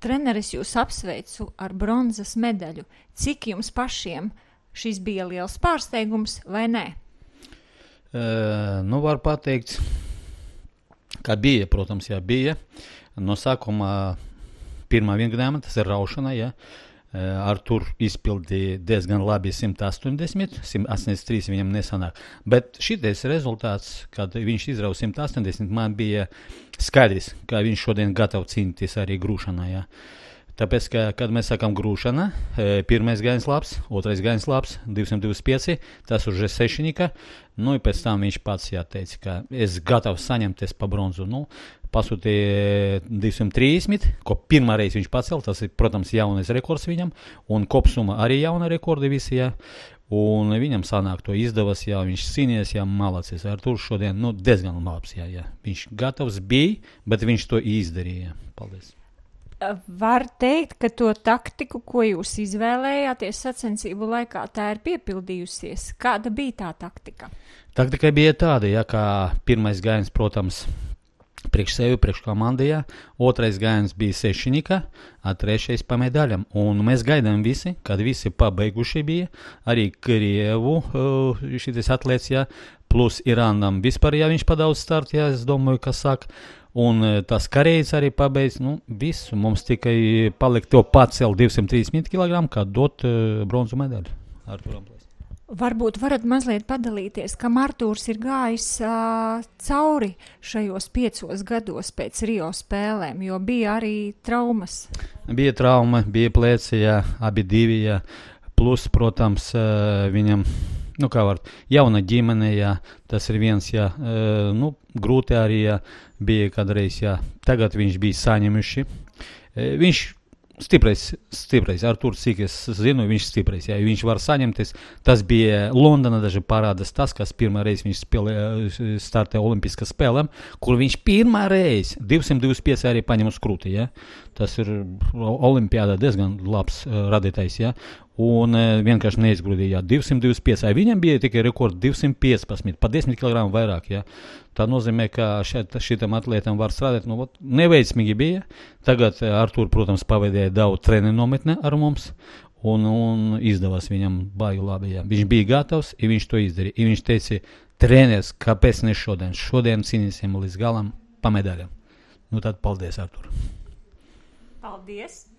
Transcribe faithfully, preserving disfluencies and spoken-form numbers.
treneris jūs apsveicu ar bronzas medaļu. Cik jums pašiem šis bija liels pārsteigums vai nē? Uh, nu, var pateikt, ka bija, protams, jā, bija. No sākuma pirmā vingrinājuma, tas ir raušana, jā. Uh, Artur izpildīja diezgan labi simt astoņdesmit, simt astoņdesmit trīs viņam nesanāk. Bet šitais rezultāts, kad viņš izrauja simt astoņdesmit, man bija skaidrs, ka viņš šodien gatavo cīnīties arī grūšanā, jā. Tāpēc, ka, kad mēs sakām grūšana, pirmais gājiens labs, otrais gājiens labs, divsimt divdesmit pieci, tas už sešnika, nu, pēc tam viņš pats jāteica, ka es gatavs saņemties pa bronzu, nu, pasūtīja divsimt trīsdesmit, ko pirmā reize viņš pacēl, tas ir, protams, jaunais rekords viņam, un kopsumma arī jauna rekordi visi, jā, un viņam sanāk to izdevas, jā, viņš cīnījies, jā, malacis, Artur šodien, nu, diezgan labs, jā, jā, viņš gatavs bija, bet viņš to izdarīja, paldies. Var teikt, ka to taktiku, ko jūs izvēlējāties sacensību laikā, tā ir piepildījusies. Kāda bija tā taktika? Taktika bija tāda, ja, kā pirmais gājiens, protams, priekš sevi, priekš komandijā, otrais gājiens bija sešnika, a trešais pa medaļam. Un mēs gaidām visi, kad visi pabeiguši bija, arī Krievu šitais atlēts, ja, plus Irānam vispār, ja viņš padaudz start, ja, es domāju, kas sāk. Un tas karējs arī pabeidz, nu, visu. Mums tikai paliek to pacelt divsimt trīsdesmit kilogramu, kā dot uh, bronzu medaļu. Arturam. Varbūt varat mazliet padalīties, kam Artūrs ir gājis uh, cauri šajos piecos gados pēc Rio spēlēm, jo bija arī traumas. Bija trauma, bija plēci, jā, abi divi, jā. Plus, protams, uh, viņam, nu kā var, jauna ģimene, jā, tas ir viens, jā, uh, nu, grūti arī, jā, bija kādreiz, jā, tagad viņš bija saņemuši. Uh, viņš stiprais, stiprais, Arturs, cik es zinu, viņš stiprais, jā, viņš var saņemties. Tas bija Londona, daži parādas tas, kas pirmā reiz viņš spēlē, startē olimpiskas spēlēm, kur viņš pirmā reiz divsimt divdesmit pieci arī paņem uz krūti, jā. Tas ir olimpiādā diezgan labs uh, radītais, jā. Un uh, vienkārši neizgrūdīja, jā, divsimt divdesmit pieci, viņam bija tikai rekords divsimt piecpadsmit, pa desmit kilogramu vairāk, jā. Tā nozīmē, ka šeit, šitam atlētam var strādāt, nu, ot, neveiksmīgi bija. Tagad uh, Artur, protams, pavadīja daudz treniņu nometne ar mums, un, un izdevās viņam baigi labi, jā. Viņš bija gatavs, ja viņš to izdarīja. Ja viņš teica, treneris, kāpēc ne šodien? Šodien cīnīsim līdz galam pa medaļam. Nu tad paldies, Artur. Paldies.